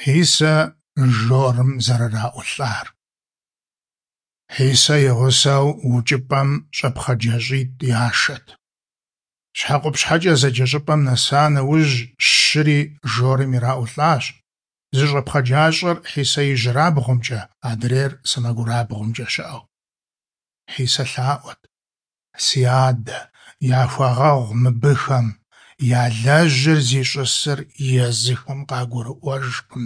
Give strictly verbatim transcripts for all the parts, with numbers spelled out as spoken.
Хьисэ жорым зэрыраӏулӏар. Хьисэ и гъусэу укӏыпӏэм щӏэпхъаджащӏитӏ яшэт. Щхьэкъупщхьэкӏэ зэджэ щӏыпӏэм нэса нэужь, щыри жорым ираӏулӏащ. Зы щӏэпхъаджащӏэр Хьисэ ижьырабгъумкӏэ, адрейр сэмэгурабгъумкӏэ щыӏэу. Хьисэ лъаӏуэт: «Си Адэ, яхуэгъэгъу мыбыхэм, ялэжьыр зищӏысыр езыхэм къагурыӏуэжкъым».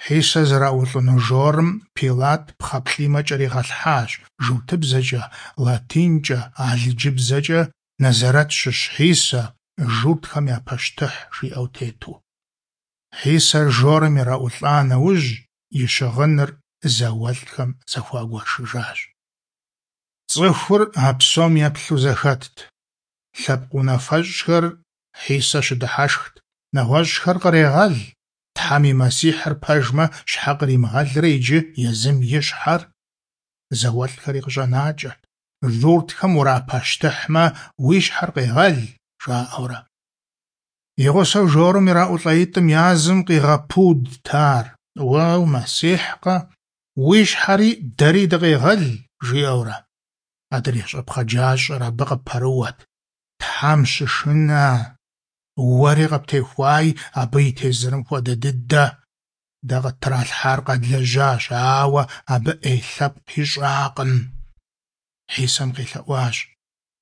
Хьисэ зэраӏулӏыну жорым Пилат пхъэ плӏимэ кӏэригъэлъхьащ, журтыбзэкӏэ, латинкӏэ, алыджыбзэкӏэ «Нэзэрэт щыщ Хьисэ, журтхэм я пащтыхь» жиӏэу тету. Хьисэ жорым ираӏулӏа нэужь, и щыгъыныр зауэлӏхэм зэхуагуэшыжащ. Цӏыхур а псом еплъу зэхэтт. Лъэпкъ унафэщӏхэр Хьисэ щыдыхьэшхт, нэгъуэщӏхэр кърегъэл, Тхьэм и Мэссихьыр пэжмэ, щхьэ къримыгъэлрэ иджы езым и щхьэр? Зауэлӏхэри къыщӏэнакӏэрт: «Журтхэм урапащтыхьмэ, уи щхьэр къегъэл», жаӏэурэ. И гъусэу жорым ираӏулӏаитӏым язым къигъэпудт ар: «Уэ у-Мэссихькъэ? Уи щхьэри дэри дыкъегъэл», жиӏэурэ. Адрей щӏэпхъаджащӏэр абы къыпэрыуэт: «Тхьэм щышынэ, уэри къыптехуаи абы и тезырым хуэдэ дыдэ. Дэ къыттралъхьар къэдлэжьащ, ауэ абы ӏей лъэпкъ ищӏакъым». Хьисэм къелъэӏуащ: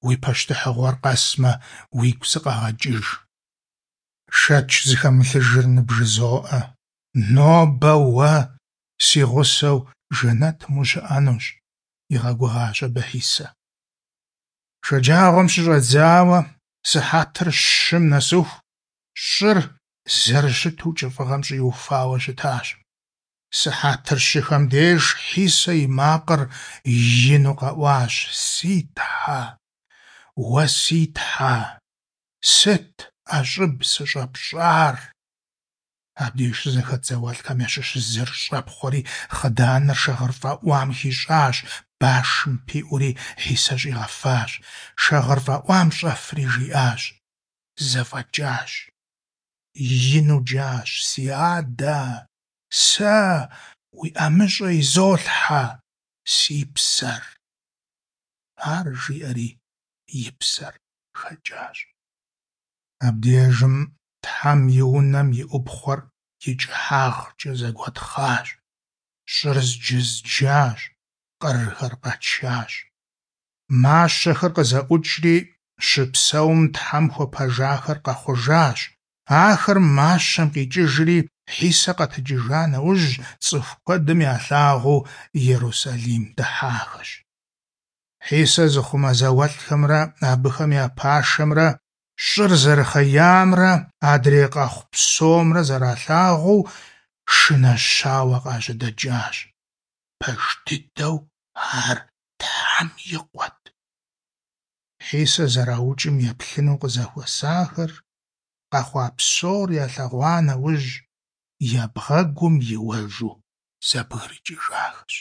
«Уи пащтыхьыгъуэр къэсмэ, уигу сыкъэгъэкӏыж». Шэч зыхэмылъыжыр ныбжызоӏэ: нобэ уэ си гъусэу жэнэтым ущыӏэнущ, игъэгугъащ абы Хьисэ. Шэджагъуэм щыщӏэдзауэ сыхьэтыр щым нэсыху щӏыр зэрыщыту кӏыфӏыгъэм щӏиуфауэ щытащ. Сыхьэтыр щыхэм деж Хьисэ и макъыр ину къэӏуащ: «Си Тхьэ, уэ си Тхьэ, сыт ӏэщӏыб сыщӏэпщӏар?» Абдеж щызэхэт зауэлӏхэм ящыщ зыр щӏэпхъуэри хъыданыр шагъыр фӏэӏуам хищӏащ, башым пиӏури Хьисэ щӏигъэфащ. Шагъыр фӏэӏуам щӏэфри жиӏащ: «Зэфӏэкӏащ». Ину джащ: «Си Адэ, сэ уи ӏэмыщӏэ изолъхьэ си псэр». Ар жиӏэри и псэр хэкӏащ. Абдежым Тхьэм и унэм и ӏупхъуэр и кӏыхьагъкӏэ зэгуэтхъащ, щӏыр зджызджащ, къырхэр къэчащ. Мащэхэр къызэӏукӏри, щыпсэум Тхьэм хуэпэжахэр къэхъужащ. Ахэр мащэм къикӏыжри, Хьисэ къэтэджыжа нэужь, цӏыху куэдым ялъагъуу Ерусалим дыхьахэщ. Хьисэ зыхъумэ зауэлӏхэмрэ абыхэм я пашэмрэ щӏыр зэрыхъеямрэ адрей къэхъу псомрэ зэралъагъуу шынэщауэ къажьэдэкӏащ. Пэж дыдэу ар Тхьэм и Къуэт. Хьисэ зэраукӏым еплъыну къызэхуэсахэр, къэхъуа псор ялъэгъуа нэужь, я бгъэгум иуэжу зэбгрыкӏыжахэщ.